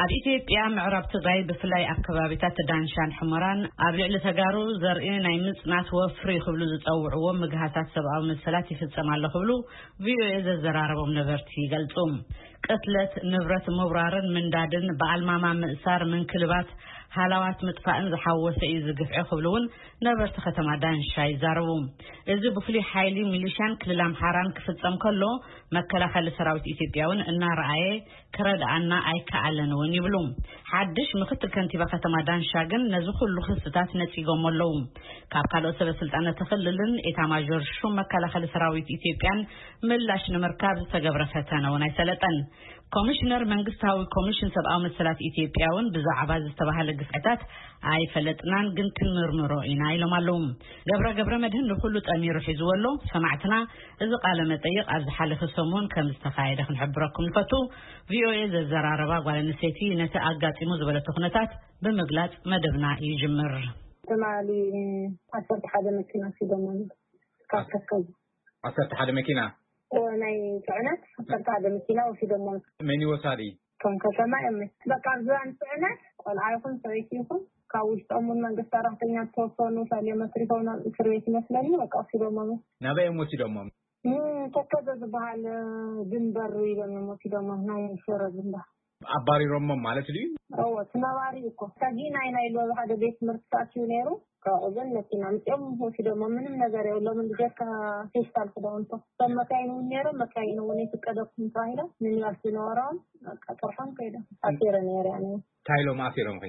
ኣብ ኢትዮጵያ ምዕራብ ትግራይ ብፍላይ ኣብ ከባቢታት ዳንሻን ሕመራን ኣብ ልዕሊ ተጋሩ ዘርኢ ናይ ምጽናት ወፍሪ ክብሉ ዝጸውዕዎ ምግሃሳት ሰብኣዊ መሰላት ይፍጸም ኣሎ ክብሉ ቪኦኤ ዘዘራረቦም ነበርቲ ይገልጹ። ቅትለት፣ ንብረት ምውራርን ምንዳድን፣ ብኣልማማ ምእሳር፣ ምንክልባት፣ ሃላዋት ምጥፋእን ዝሓወሰ እዩ ዝግፍዒ ክብሉ እውን ነበርቲ ከተማ ዳንሻ ይዛረቡ። እዚ ብፍሉይ ሓይሊ ሚሊሻን ክልል ኣምሓራን ክፍጸም ከሎ መከላኸሊ ሰራዊት ኢትዮጵያ እውን እናረኣየ ክረድኣና ኣይከኣለን እውን ይብሉ። ሓድሽ ምክትል ከንቲባ ከተማ ዳንሻ ግን ነዚ ኩሉ ክስታት ነጺጎም ኣለዉ። ካብ ካልኦት ሰበ ስልጣን እቲ ክልልን ኤታማዦር ሹም መከላኸሊ ሰራዊት ኢትዮጵያን ምላሽ ንምርካብ ዝተገብረ ፈተነ እውን ኣይሰለጠን። ኮሚሽነር መንግስታዊ ኮሚሽን ሰብኣዊ መሰላት ኢትዮጵያ እውን ብዛዕባ ዝተባህለ ግፍዕታት ኣይፈለጥናን፣ ግን ክንምርምሮ ኢና ኢሎም ኣለዉ። ገብረ ገብረ መድህን ንኩሉ ጠሚሩ ሒዝዎ ኣሎ። ሰማዕትና፣ እዚ ቃለ መጠይቅ ኣብ ዝሓለፈ ሰሙን ከም ዝተኻየደ ክንሕብረኩም ንፈቱ። ቪኦኤ ዘዘራረባ ጓል ኣንስተይቲ ነቲ ኣጋጢሙ ዝበለቶ ኩነታት ብምግላጽ መደብና ይጅምር። ትማሊ ዓሰርተ ሓደ መኪና ሲደሞን ካብ ተከዙ። ዓሰርተ ሓደ መኪና? እዎ፣ ናይ ጽዕነት ዓሰርተ ሓደ መኪና ወሲዶሞ። መን እዩ ወሳዲ? ከም ከተማ እዮም። በቃ፣ ኣብ ዝባን ጽዕነት ቆልዓ ይኹን ሰበይቲ ይኹን፣ ካብ ውሽጦም እውን መንግስቲ ሰራሕተኛ ዝተወሰኑ ሰልዮም ኣትሪፎም ናብ እስር ቤት ይመስለኒ። በቃ፣ ወሲዶሞ። ናበይ እዮም ወሲዶሞም? ንተከዘ ዝበሃል ድንበር ኢሎም እዮም ወሲዶሞ፣ ናይ ሽረ ድንበር። ኣባሪሮሞም ማለት ድዩ? እዎ፣ እቲ ነባሪ እኮ ሰጊና ኢና ኢሉ ኣብ ሓደ ቤት ትምህርቲ ተኣትዩ ነይሩ። ካብኡ ግን መኪና ኣምጺኦም ወሲዶሞ። ምንም ነገር የብሎምን፣ ብጀካ ፌስታል ክዳውንቶ። እቶም መካይን እውን ነይሮም፣ መካይን እውን ይፍቀደኩም ተባሂሎም፣ ሚኒባስ ዝነበሮም፣ በቃ፣ ጥርሖም ከይዶም። ኣሲረ ነይረ፣ ያኔ። እንታይ ኢሎም ኣሲሮምኺ?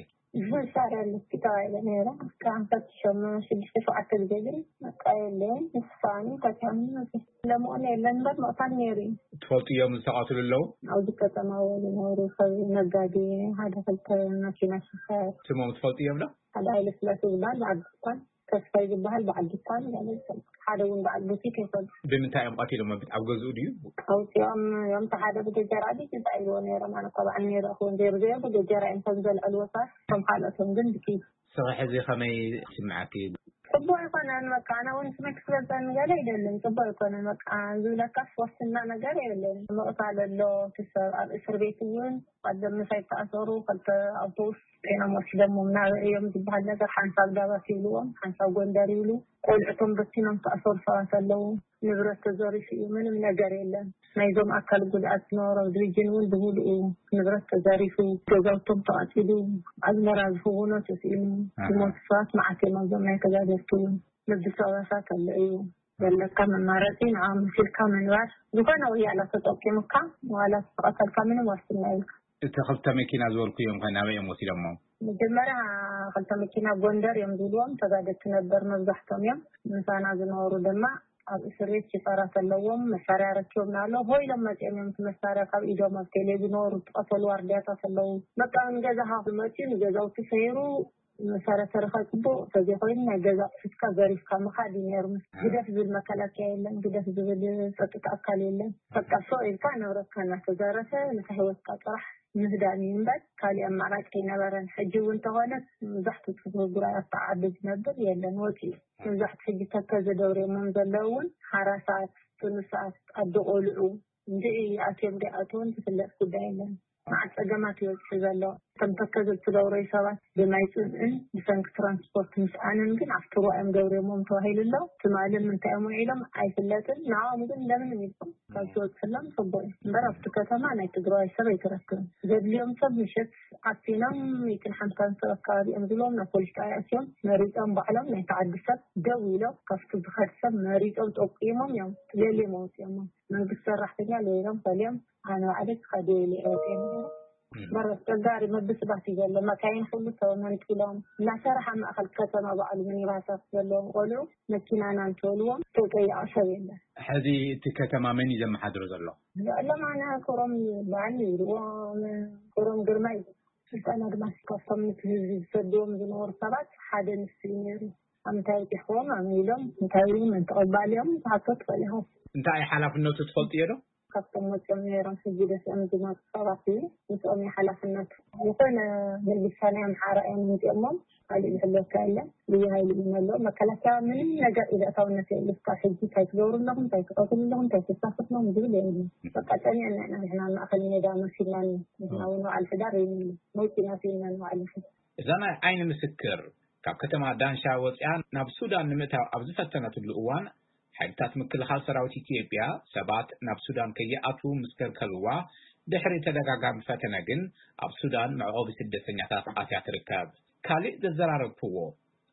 መሳርያ ኣለኪ ተባሂለ ነይረ። እስካብ ፈትሾም ሽዱሽተ ሸውዓተ ግዜ ግን በቃ የለን። ንስኻኒ ተካኒ ለምኦን የለን እምበር ምቕታል ነይሩ እዩ። ትፈልጥዮም ዝተቐትሉ ኣለዉ? ኣብዚ ከተማ ዝነበሩ ሰብ ነጋዴ፣ ሓደ ክልተ መኪና ሽፈር። ስሞም ትፈልጥዮም ዶ? ሓደ ሃይለ ስላሴ ዝበሃል በዓል ድኳን፣ ተስፋይ ዝበሃል በዓል ድኳን፣ ሓደ እውን በዓል ቡቲክ ይፈልጥ። ብምንታይ እዮም ቀቲሎሞ? ኣብ ገዝኡ ድዩ? ኣውፂኦም እዮም። እቲ ሓደ ብገጀራ ድዩ እንታይ ኢልዎ ነይሮም? ኣነ እኮ በዓል ነይረ ክውን ዘይሩ ዘይሩ ብገጀራ እዮም ከም ዘልዕልዎ ሰባት፣ ከም ካልኦቶም ግን ብኪ። ስራሕ እዚ ከመይ ይስምዓኪ? ጽቡቅ ኣይኮነን። በቃ፣ ኣነ እውን ስሜት ክስበን ገለ ኣይደልን። ጽቡቅ ኣይኮነን። በቃ፣ ዝብለካስ ዋስትና ነገር የለን። ምቕታል ኣሎ፣ እቲ ሰብ ኣብ እስር ቤት እውን ቀደም ምሳይ ተኣሰሩ፣ ክልተ ኣውቶቡስ ጤና ወሲዶሞም ናበይ እዮም ዝበሃል ነገር፣ ሓንሳብ ዳባት ይብልዎም፣ ሓንሳብ ጎንደር ይብሉ። ቆልዕቶም በቲኖም ተኣሰሩ ሰባት ኣለዉ። ንብረት ተዘሪፉ እዩ፣ ምንም ነገር የለን። ናይዞም ኣካል ጉድኣት ዝነበሮም ሪጅን እውን ብምሉኡ ንብረት ተዘሪፉ፣ ገዛውቶም ተቓጺሉ፣ ኣዝመራ ዝህውኖ ተስኢኑ፣ ኣሃ። ዝሞቱ ሰባት መዓት እዮም ኣብዞም ናይ ተጋደልቲ እውን። ንብሰባሳት ኣሎ እዩ። ዘለካ መማረፂ ንዓ መሲልካ ምንባር፣ ዝኾነ ወያላ ተጠቂሙካ ዋላ ተቐተልካ ምንም ዋስትና የብልካ። እቲ ክልተ መኪና ዝበልኩ እዮም ከ ናበይ እዮም ወሲዶሞ? መጀመርያ ክልተ መኪና ጎንደር እዮም ዝብልዎም፣ ተጋደልቲ ነበር መብዛሕቶም እዮም። ምሳና ዝነበሩ ድማ ኣብ እስር ቤት ሽፈራት ኣለዎም፣ መሳርያ ረኪቦም ኣሎ። ሆ ኢሎም መፂኦም እዮም እቲ መሳርያ ካብ ኢዶም ኣብ ቴሌ ዝነበሩ ዝቐተሉ ዋርድያታት ኣለዉ። በቃ ንገዛኻ መፂኡ ንገዛውቲ ሰይሩ መሳርያ ተረኻ ጽቡቕ ተዘይኮይኑ ናይ ገዛ ኣቑሑትካ ዘሪፍካ ምኻድ እዩ ነይሩ። ኣሃ። ግደፍ ዝብል መከላከያ የለን፣ ግደፍ ዝብል ጸጥታ ኣካል የለን። በቃ ሶ ኢልካ ንብረትካ እናተዘረፈ ንታ ህይወትካ ጥራሕ ምህዳን እዩ እምበር ካሊእ ኣማራጭ ኣይነበረን። ሕጂ እውን እንተኾነ መብዛሕትኡ ጽፍሪ ጉራይ ኣብታ ዓዲ ዝነብር የለን፣ ወጺኡ። ኣሃ። መብዛሕትኡ ሕጂ ተከዘ ደብርዮሞም ዘለዉ እውን ሓራሳት፣ ጥኑሳት፣ ኣደ ቆልዑ እንድዒ ኣትዮም ደይኣትውን ዝፍለጥ ጉዳይ የለን። መዓት ጸገማት ይበጽሑ ዘሎ። እቶም ተከዘ እትደውረዩ ሰባት ብማይ ጽምእን ብሰንኪ ትራንስፖርት ምስኣንን ግን ኣብቲ ሩባ እዮም ደብርዮሞም ተባሂሉ ኣሎ። ትማሊ ምንታይ እዮም ውዒሎም ኣይፍለጥን። ንዕኦም ግን እንደምንም ኢልኩም ካብ ትበጽሕሎም ጽቡቕ እዩ። እምበር ኣብቲ ከተማ ናይ ትግራዋይ ሰብ ኣይትረክብን። ዘድልዮም ሰብ ምሸት ዓፊኖም ሚእትን ሓምሳን ሰብ ኣካባቢ እዮም ዝብሎም ናብ ፖሊስ ጣብያ ኣትዮም መሪጾም ባዕሎም ናይቲ ዓዲ ሰብ ደው ኢሎም ካብቲ ዝኸድ ሰብ መሪጾም ጠቂሞም እዮም ለልዮም ኣውጺኦሞም። መንግስቲ ሰራሕተኛ ለይሎም ፈልዮም ኣነ ባዕለይ ክኸደ ኢለ እየ ወፂአ ነይረ። እም። በረስ ተጋሪ መብስባት እዩ ዘሎ። መካይን ኩሉ ተመንጢሎም እናሰራሕ ኣብ ማእኸል ከተማ ባዕሉ ሚኒባሳት ዘለዎም ቆልዑ መኪናና እንተበልዎም ተጠየቐ ሰብ የለን። ሕዚ እቲ ከተማ መን እዩ ዘመሓድሮ ዘሎ? ንዕሎም ኣነ ክብሮም በዓል ይብልዎም፣ ክብሮም ግርማ ይብልዎም። ስልጣን ኣድማስ ካብቶም ነቲ ህዝቢ ዝሰድዎም ዝነበሩ ሰባት ሓደ ንሱ እዩ ነይሩ። ኣብ ምንታይ በፂሕዎም? ኣመይ ኢሎም እንታይ ኢሉ መን ተቐባሊ እዮም? ዝሓቶ ትኽእል ኢኻ። እንታይ ሓላፍነቱ ትፈልጥዮ ዶ? ካብቶም መፅኦም ነይሮም ሕጂ ደስኦም ዝመፁ ሰባት እዩ። ምስኦም እዩ ሓላፍነቱ። ዝኾነ ምልሻ ናይ ኣምሓራ እዮም ምፅኦሞም። ካሊእ ዝሕለካ የለን። ልዩ ሃይሊ እዩ መለኦ። መከላከያ ምንም ነገር ኢለእታውነት የብሉ። እስካብ ሕጂ እንታይ ትገብሩ ኣለኹም፣ እንታይ ትቐትሉ ኣለኹም፣ እንታይ ትሳፈፍ ኣለኹም ዝብል የብሉ። በቃ ጸኒዕና ኢና ንሕና ማእኸል ሜዳ መሲልናኒ። ንሕና እውን በዓል ሕዳር እዩ መውፂና ስኢና ንባዕል ይኹን። እዛ ናይ ዓይኒ ምስክር ካብ ከተማ ዳንሻ ወፂኣ ናብ ሱዳን ንምእታው ኣብ ዝፈተነትሉ እዋን ሓይልታት ምክልኻል ሰራዊት ኢትዮጵያ ሰባት ናብ ሱዳን ከይኣትዉ ምስ ከልከልዋ፣ ድሕሪ ተደጋጋሚ ፈተነ ግን ኣብ ሱዳን መዕቆቢ ስደተኛታት ኣትያ ትርከብ። ካልእ ዘዘራረብክዎ፣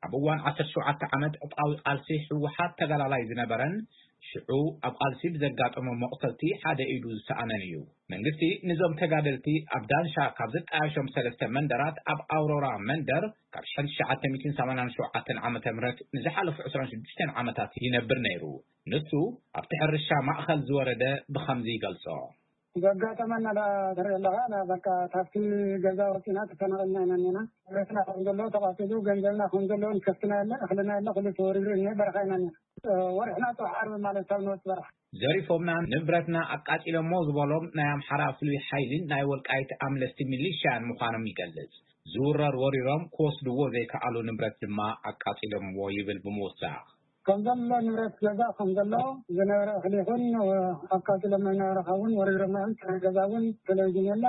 ኣብ እዋን ዓሰርተ ሸውዓተ ዓመት ዕጥቃዊ ቃልሲ ህወሓት ተጋዳላይ ዝነበረን ሽዑ ኣብ ቃልሲ ብዘጋጠሞ መቑሰልቲ ሓደ ኢዱ ዝሰኣነን እዩ። መንግስቲ ንዞም ተጋደልቲ ኣብ ዳንሻ ካብ ዘጣየሾም ሰለስተ መንደራት ኣብ ኣውሮራ መንደር ካብ ሽሕን ትሽዓተ ሚእትን ሰማንያን ሸውዓተን ዓመተ ምህረት ንዝሓለፉ ዕስራን ሽዱሽተን ዓመታት ይነብር ነይሩ። ንሱ ኣብቲ ሕርሻ ማእኸል ዝወረደ ብኸምዚ ይገልጾ። ዘጋጠመና ዳ ትርኢ ኣለኻ፣ ና በቃ ካብቲ ገዛ ወፂና ተፈናቐልና ኢና እኒና። ንብረትና ከም ዘሎ ተቓፂሉ፣ ገንዘብና ከም ዘሎ ንከፍትና የለ፣ እኽልና የለ፣ ኩሉ ተወሪሩ እኒሀ፣ በረኻ ኢና እኒና። ወርሕና ፅባሕ ዓርቢ ማለት ካብ ንወፅ በረኻ። ዘሪፎምና ንብረትና ኣቃፂሎሞ ዝበሎም ናይ ኣምሓራ ፍሉይ ሓይሊን ናይ ወልቃይት ኣምለስቲ ሚሊሽያን ምዃኖም ይገልጽ። ዝውረር ወሪሮም ክወስድዎ ዘይከኣሉ ንብረት ድማ ኣቃፂሎምዎ ይብል ብምውሳኽ። ከም ዘሎ ንብረት ገዛ ከም ዘሎ ዝነበረ እኽሊ ይኹን ኣቃፂሎም ዝነበረ እውን ወሪሮሞ እዮም። ጥረ ገዛ እውን ቴሌቪዥን የላ፣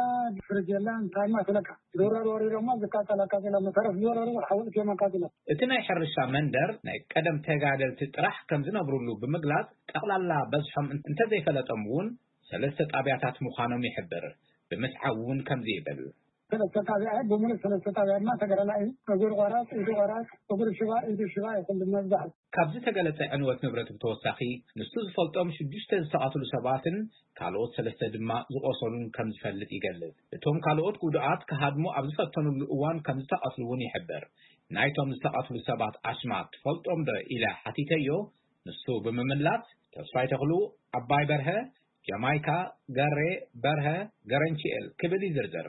ፍርጅ የላ፣ እንታይ ማስለካ ዝውረር ወሪሮሞ ዝቃፀል ኣቃፂሎም፣ ተረፍ ዝወረሩ ሓውልት እዮም ኣቃፂሎም። እቲ ናይ ሕርሻ መንደር ናይ ቀደም ተጋደልቲ ጥራሕ ከም ዝነብሩሉ ብምግላጽ፣ ጠቕላላ በዝሖም እንተዘይፈለጦም እውን ሰለስተ ጣብያታት ምዃኖም ይሕብር። ብምስዓብ እውን ከምዚ ይብል። ሰለስተ ጣብያ እዩ፣ ብምሉእ ሰለስተ ጣብያ ድማ ተጋዳላይ እዩ። እግሩ ቆራፅ፣ ኢዱ ቆራፅ፣ እግሩ ሽባ፣ ኢዱ ሽባ ይኹን መብዛሕትኡ። ካብ ዝተገለጸ ዕንወት ንብረት ብተወሳኺ፣ ንሱ ዝፈልጦም ሽዱሽተ ዝተቐትሉ ሰባትን ካልኦት ሰለስተ ድማ ዝቖሰሉን ከም ዝፈልጥ ይገልጽ። እቶም ካልኦት ጉዱኣት ክሃድሙ ኣብ ዝፈተኑሉ እዋን ከም ዝተቐትሉ እውን ይሕብር። ናይቶም ዝተቐትሉ ሰባት ኣስማት ትፈልጦም ዶ ኢለ ሓቲተዮ። ንሱ ብምምላስ፣ ተስፋይ ተኽሉ፣ ኣባይ በርሀ፣ ጀማይካ፣ ገሬ፣ በርሀ፣ ገረንቺኤል ክብል ይዝርዝር።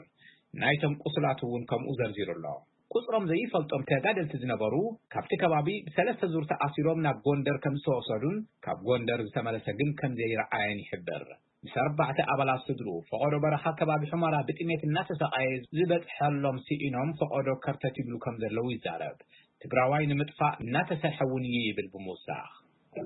ናይቶም ቁስላት እውን ከምኡ ዘርዚሩ ኣሎ። ቁጽሮም ዘይፈልጦም ተጋደልቲ ዝነበሩ፣ ካብቲ ከባቢ ብሰለስተ ዙር ተኣሲሮም ናብ ጎንደር ከም ዝተወሰዱን ካብ ጎንደር ዝተመለሰ ግን ከም ዘይረኣየን ይሕብር። ምስ ኣርባዕተ ኣባላት ስድርኡ፣ ፈቐዶ በረኻ ከባቢ ሑመራ ብጥሜት እናተሰቓየ ዝበጽሐሎም ስኢኖም ፈቐዶ ከርተት ይብሉ ከም ዘለዉ ይዛረብ። ትግራዋይ ንምጥፋእ እናተሰርሐ እውን እዩ ይብል ብምውሳኽ።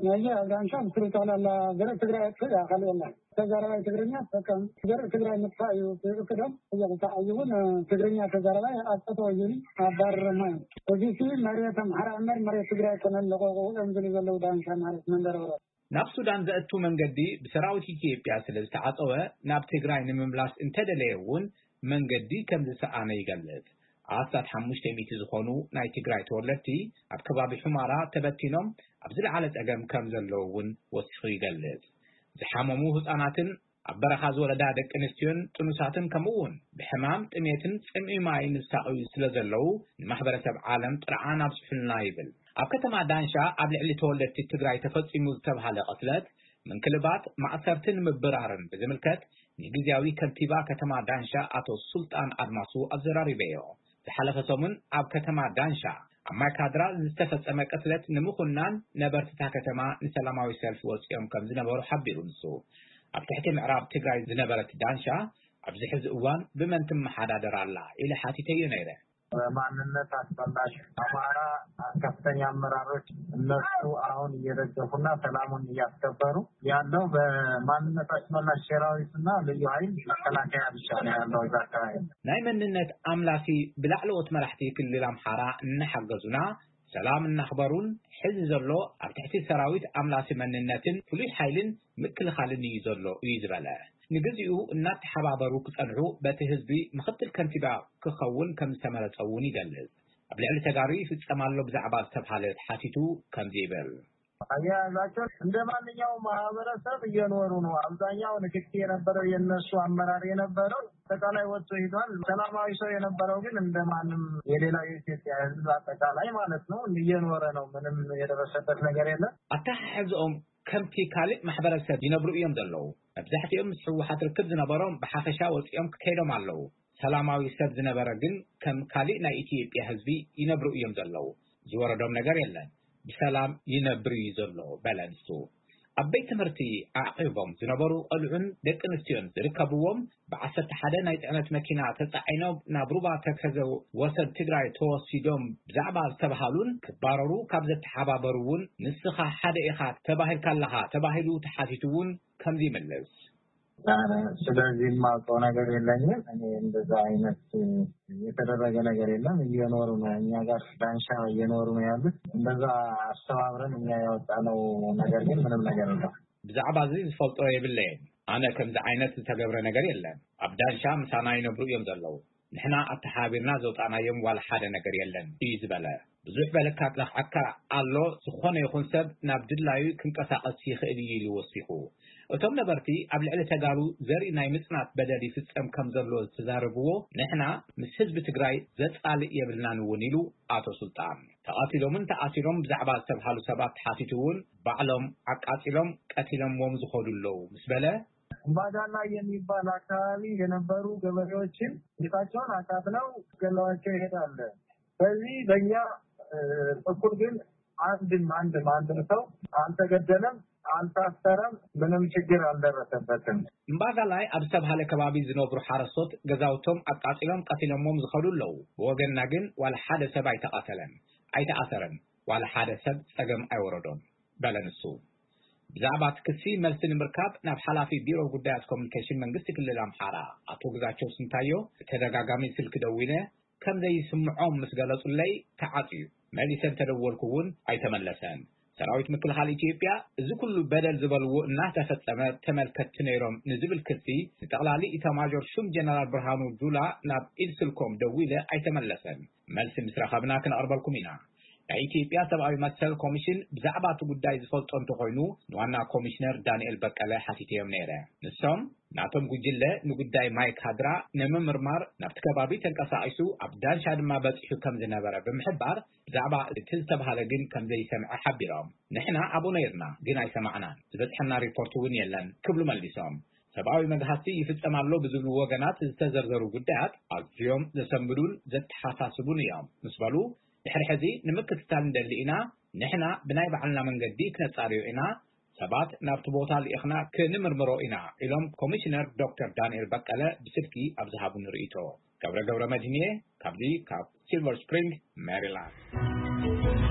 ነዚ ኣብ ዳንሻ ምስሉ ጠቕላላ ዘርኢ ትግራይ ኣጥፍእ እያ፣ ካልእ የለን። ተዛራባይ ትግርኛ ተጠቀም። ዘርኢ ትግራይ ምጥፋእ እዩ እቅዶም። እዚ ክሳዕ ሕጂ እውን ትግርኛ ተዛራባይ ኣብ ጠጠው ይብል ኣባረረማ እዩ። እዚ ሲ መሬት ኣምሓራ እምበር መሬት ትግራይ ኣይኮነን፣ ለቐቑ እዮም ዝብሉ ዘለዉ ዳንሻ ማለት መንደር ኦሮ። ናብ ሱዳን ዘእቱ መንገዲ ብሰራዊት ኢትዮጵያ ስለ ዝተዓጸወ፣ ናብ ትግራይ ንምምላስ እንተደለየ እውን መንገዲ ከም ዝሰኣነ ይገልጽ። ኣስታት ሓሙሽተ ሚእቲ ዝኾኑ ናይ ትግራይ ተወለድቲ ኣብ ከባቢ ሑማራ ተበቲኖም ኣብ ዝለዓለ ጸገም ከም ዘለዉ እውን ወሲኹ ይገልጽ። ዝሓመሙ ህጻናትን ኣብ በረኻ ዝወለዳ ደቂ ኣንስትዮን ጥኑሳትን ከምኡ እውን ብሕማም ጥሜትን ጽምኢ ማይን ዝሳቐዩ ስለ ዘለዉ ንማሕበረሰብ ዓለም ጥርዓን ኣብጽሑልና ይብል። ኣብ ከተማ ዳንሻ ኣብ ልዕሊ ተወለድቲ ትግራይ ተፈጺሙ ዝተብሃለ ቅትለት፣ ምንክልባት፣ ማእሰርትን ምብራርን ብዝምልከት ንግዝያዊ ከንቲባ ከተማ ዳንሻ ኣቶ ሱልጣን ኣድማሱ ኣዘራሪበዮ። ዝሓለፈ ሰሙን ኣብ ከተማ ዳንሻ ኣብ ማይካድራ ዝተፈጸመ ቅትለት ንምኹናን ነበርትታ ከተማ ንሰላማዊ ሰልፊ ወጺኦም ከም ዝነበሩ ሓቢሩ ንሱ። ኣብ ትሕቲ ምዕራብ ትግራይ ዝነበረት ዳንሻ ኣብዚ ሕዚ እዋን ብመን ትመሓዳደር ኣላ ኢለ ሓቲተዮ ነይረ። በማንነት አስመላሽ አማራ ከፍተኛ አመራሮች እነሱ አሁን እየደገፉና ሰላሙን እያስከበሩ ያለው በማንነት አስመላሽ ሰራዊትና ልዩ ኃይል መከላከያ ብቻ ነው ያለው እዛ አካባቢ። ናይ መንነት ኣምላሲ ብላዕለዎት መራሕቲ ክልል ኣምሓራ እናሓገዙና ሰላም እናኽበሩን ሕዚ ዘሎ ኣብ ትሕቲ ሰራዊት ኣምላሲ መንነትን ፍሉይ ሓይልን ምክልኻልን እዩ ዘሎ እዩ ዝበለ። ንግዚኡ እናተሓባበሩ ክጸንሑ በቲ ህዝቢ ምኽትል ከንቲባ ክኸውን ከም ዝተመረጸ እውን ይገልጽ። ኣብ ልዕሊ ተጋሩ ይፍጸም ኣሎ ብዛዕባ ዝተብሃለ ተሓቲቱ ከምዚ ይብል። አያያዛቸው እንደ ማንኛውም ማህበረሰብ እየኖሩ ነው። አብዛኛው ንክኪ የነበረው የነሱ አመራር የነበረው አጠቃላይ ወጥቶ ሄዷል። ሰላማዊ ሰው የነበረው ግን እንደ ማንም የሌላው የኢትዮጵያ ህዝብ አጠቃላይ ማለት ነው እየኖረ ነው። ምንም የደረሰበት ነገር የለም። ኣተሓሕዝኦም ከምቲ ካልእ ማሕበረሰብ ይነብሩ እዮም ዘለዉ። መብዛሕትኦም ምስ ህወሓት ርክብ ዝነበሮም ብሓፈሻ ወፂኦም ከይዶም ኣለዉ። ሰላማዊ ሰብ ዝነበረ ግን ከም ካልእ ናይ ኢትዮጵያ ህዝቢ ይነብሩ እዮም ዘለዉ። ዝወረዶም ነገር የለን። ብሰላም ይነብር እዩ ዘሎ በለ ንሱ። ኣብ ቤት ትምህርቲ ኣዕቂቦም ዝነበሩ ቆልዑን ደቂ ኣንስትዮን ዝርከብዎም ብዓሰርተ ሓደ ናይ ጽዕነት መኪና ተጻዒኖም ናብ ሩባ ተከዘ ወሰን ትግራይ ተወሲዶም ብዛዕባ ዝተባሃሉን ክባረሩ ካብ ዘተሓባበሩ እውን ንስኻ ሓደ ኢኻ ተባሂልካ ኣለኻ ተባሂሉ ተሓቲቱ እውን ከምዚ ይመልስ። ስለዚህ የማውቀው ነገር የለኝም። እኔ እንደዛ አይነት የተደረገ ነገር የለም። እየኖሩ ነው፣ እኛ ጋር ዳንሻ እየኖሩ ነው ያሉት። እንደዛ አስተባብረን እኛ ያወጣነው ነገር ግን ምንም ነገር የለም። ብዛዕባ እዚ ዝፈልጦ የብለይን። ኣነ ከምዚ ዓይነት ዝተገብረ ነገር የለን። ኣብ ዳንሻ ምሳና ይነብሩ እዮም ዘለዉ። ንሕና ኣተሓባቢርና ዘውፃእናዮም ዋላ ሓደ ነገር የለን እዩ ዝበለ። ብዙሕ በለካ ክለኽዐካ ኣሎ። ዝኾነ ይኹን ሰብ ናብ ድላዩ ክንቀሳቐስ ይኽእል እዩ ኢሉ ወሲኹ። እቶም ነበርቲ ኣብ ልዕሊ ተጋሩ ዘርኢ ናይ ምጽናት በደል ይፍጸም ከም ዘሎ ዝተዛረብዎ፣ ንሕና ምስ ህዝቢ ትግራይ ዘጻልእ የብልናን እውን ኢሉ ኣቶ ሱልጣን። ተቐቲሎምን ተኣሲሮም ብዛዕባ ዝተብሃሉ ሰባት ተሓቲቱ እውን ባዕሎም ዓቃጺሎም ቀቲሎምዎም ዝኸዱ ኣለዉ ምስ በለ፣ እምባዳላ የሚባል አካባቢ የነበሩ ገበሬዎችን ቤታቸውን አቃጥለው ገለዋቸው ይሄዳል። በዚህ በእኛ በኩል ግን አንድም አንድም አንድም ሰው አልተገደለም፣ አልታሰረም፣ ምንም ችግር አልደረሰበትም። እምባጋላይ ኣብ ዝተብሃለ ከባቢ ዝነብሩ ሓረስቶት ገዛውቶም ኣቃጺሎም ቀቲሎሞም ዝኸዱ ኣለዉ። ብወገንና ግን ዋላ ሓደ ሰብ ኣይተቐተለን፣ ኣይተኣሰረን፣ ዋላ ሓደ ሰብ ጸገም ኣይወረዶን በለ ንሱ። ብዛዕባ እቲ ክሲ መልሲ ንምርካብ ናብ ሓላፊ ቢሮ ጉዳያት ኮሙኒኬሽን መንግስቲ ክልል ኣምሓራ ኣቶ ግዛቸው ስንታዮ ብተደጋጋሚ ስልኪ ደዊለ ከም ዘይስምዖም ምስ ገለጹለይ ተዓጽዩ። መሊሰ እንተደወልኩ እውን ኣይተመለሰን። ሰራዊት ምክልኻል ኢትዮጵያ እዚ ኩሉ በደል ዝበልዎ እናተፈጸመ ተመልከትቲ ነይሮም ንዝብል ክሲ ንጠቕላሊ ኢታማዦር ሹም ጀነራል ብርሃኑ ጁላ ናብ ኢድ ስልኮም ደዊለ ኣይተመለሰን። መልሲ ምስ ረኸብና ክነቕርበልኩም ኢና። ናይ ኢትዮጵያ ሰብኣዊ መሰል ኮሚሽን ብዛዕባ እቲ ጉዳይ ዝፈልጦ እንተኾይኑ ንዋና ኮሚሽነር ዳንኤል በቀለ ሓቲተዮም ነይረ። ንሶም ናቶም ጉጅለ ንጉዳይ ማይ ካድራ ንምምርማር ናብቲ ከባቢ ተንቀሳቒሱ ኣብ ዳንሻ ድማ በፂሑ ከም ዝነበረ ብምሕባር ብዛዕባ እቲ ዝተብሃለ ግን ከም ዘይሰምዐ ሓቢሮም። ንሕና ኣብኡ ነይርና ግን ኣይሰማዕናን፣ ዝበፅሐና ሪፖርት እውን የለን ክብሉ መሊሶም። ሰብኣዊ መግሃስቲ ይፍጸም ኣሎ ብዝብሉ ወገናት ዝተዘርዘሩ ጉዳያት ኣዝዮም ዘሰንብዱን ዘተሓሳስቡን እዮም ምስ በሉ፣ ድሕሪ ሕዚ ንምክትታል ንደሊ ኢና፣ ንሕና ብናይ ባዕልና መንገዲ ክነጻርዮ ኢና፣ ሰባት ናብቲ ቦታ ልኢኽና ክንምርምሮ ኢና ኢሎም ኮሚሽነር ዶክተር ዳንኤል በቀለ ብስልኪ ኣብ ዝሃቡኒ ርእይቶ። ገብረ ገብረ መድህንየ ካብዚ ካብ ሲልቨር ስፕሪንግ ሜሪላንድ።